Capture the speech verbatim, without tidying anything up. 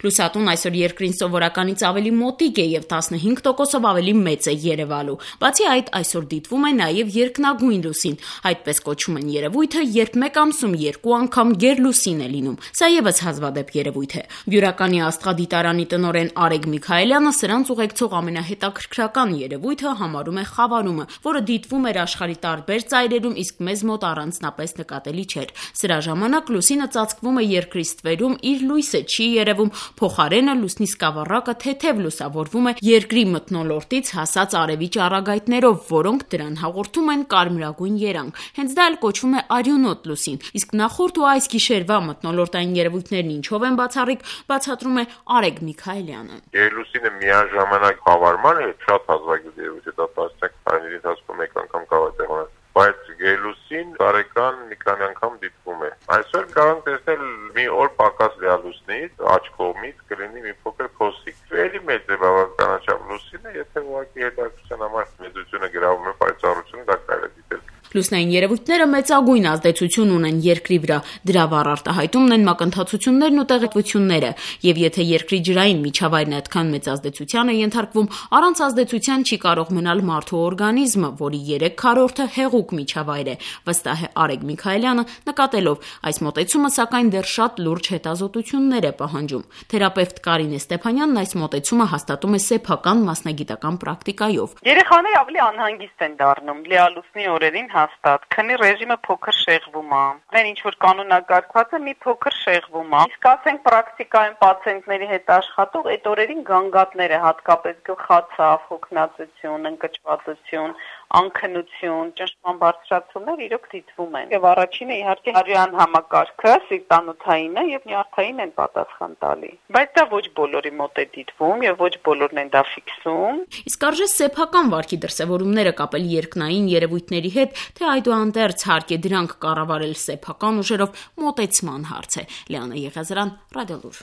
Լուսատուն այսօր երկրին սովորականից ավելի մոտիկ է եւ տասնհինգ տոկոսով ավելի մեծ է երևալու։ Բացի այդ, այսօր դիտվում է նաեւ երկնագույն լուսին։ Այդպես կոչում են երևույթը, երբ մեկ ամսում երկու անգամ գերլուսին է լինում։ Սա եւս հազվադեպ երևույթ է։ Բյուրականի աստղադիտարանի տնօրեն Արեգ Միքայելյանը սրանց ուղեկցող ամենահետաքրքրական երևույթը համարում է խավարումը, որը դիտվում էր աշխարհի տարբեր ծայրերում, իսկ մեզ մոտ առանձնապես նկատելի չէր։ Սրա ժամանակ լուսինը ծածկվում է երկրի ստվերում, իր լույսը չի երևում, փոխարենը լուսնի սկավառակը թեթև լուսավորվում է երկրի մթնոլորտից հասած արևի ճառագայթներով, որոնք դրան հաղորդում են կարմրագույն երանգ։ Հենց դա էլ կոչվում է արյունոտ լուսին։ Իսկ նախորդ ու այս գիշերվա մթնոլորտային երևույթներն ինչով են բացառիկ, բացատրում է Արեգ Միքայելյանը։ Գերլուսինը միաժամանակ խավարման է, շատ հազվագյուտ երևույթ է, դա տասնյակ տարիների ընթացքում մեկ անգամ կարող է տեղանալ, բայց գերլուսին տարեկան մի քանի անգամ դիտվում է։ Այսօր կարող ենք տեսնել մի օր պակաս լուսնից, աջ կողմից կլինի մի փոքր փոսիկ։ Էլի մեծ է բավականաչափ լուսինը, եթե ուղղակի հետաքրքրության համար մեծությունը գրավում է պայծառությունը, դա կարելի է դիտել։ Լուսնային երևույթները մեծագույն ազդեցություն ունեն երկրի վրա, դրա վառ արտահայտումն են մակընթացություններն ու տեղեկությունները, եւ եթե երկրի ջրային միջավայրն այդքան մեծ ազդեցության է ենթարկվում, առանց ազդեցության չի կարող մնալ մարդու օրգանիզմը, որի երեք քառորդը հեղուկ միջավայր է, վստահ է Արեգ Միքայելյանը, նկատելով այս մոտեցումը, սակայն դեռ շատ լուրջ հետազոտություններ է պահանջում։ Թերապևտ Կարինե Ստեփանյանն այս մոտեցումը հաստատում է սեփական մասնագիտական պրակտիկայով։ Երեխաները ավելի անհանգիստ են դառնում լիալուսնի օրերին հաստատ, քանի ռեժիմը փոքր շեղվում է։ Այն ինչ որ կանոնակարգված է, մի փոքր շեղվում է։ Իսկ ասենք պրակտիկայում պացիենտների հետ աշխատող այդ օրերին գանգատները, հատկապես գլխացավ, հոգնածություն, ընկճվածություն, անքնություն, ճնշման բարձրացումներ իրոք դիտվում են։ Եվ առաջինը իհարկե արյան համակարգը, սիրտանոթայինը եւ նյարդային են պատասխան տալի։ Բայց դա ոչ բոլորի մոտ է դիտվում եւ ոչ բոլորն են դա ֆիքսում։ Իսկ արժե սեփական վարքի դրսևորումները կապել երկնային երևույթների հետ, թե այդուհանդերձ հարկ է դրանք կառավարել սեփական ուժերով, մոտեցման հարց է։ Լիանա Եղիազարյան, Ռադիոլուր։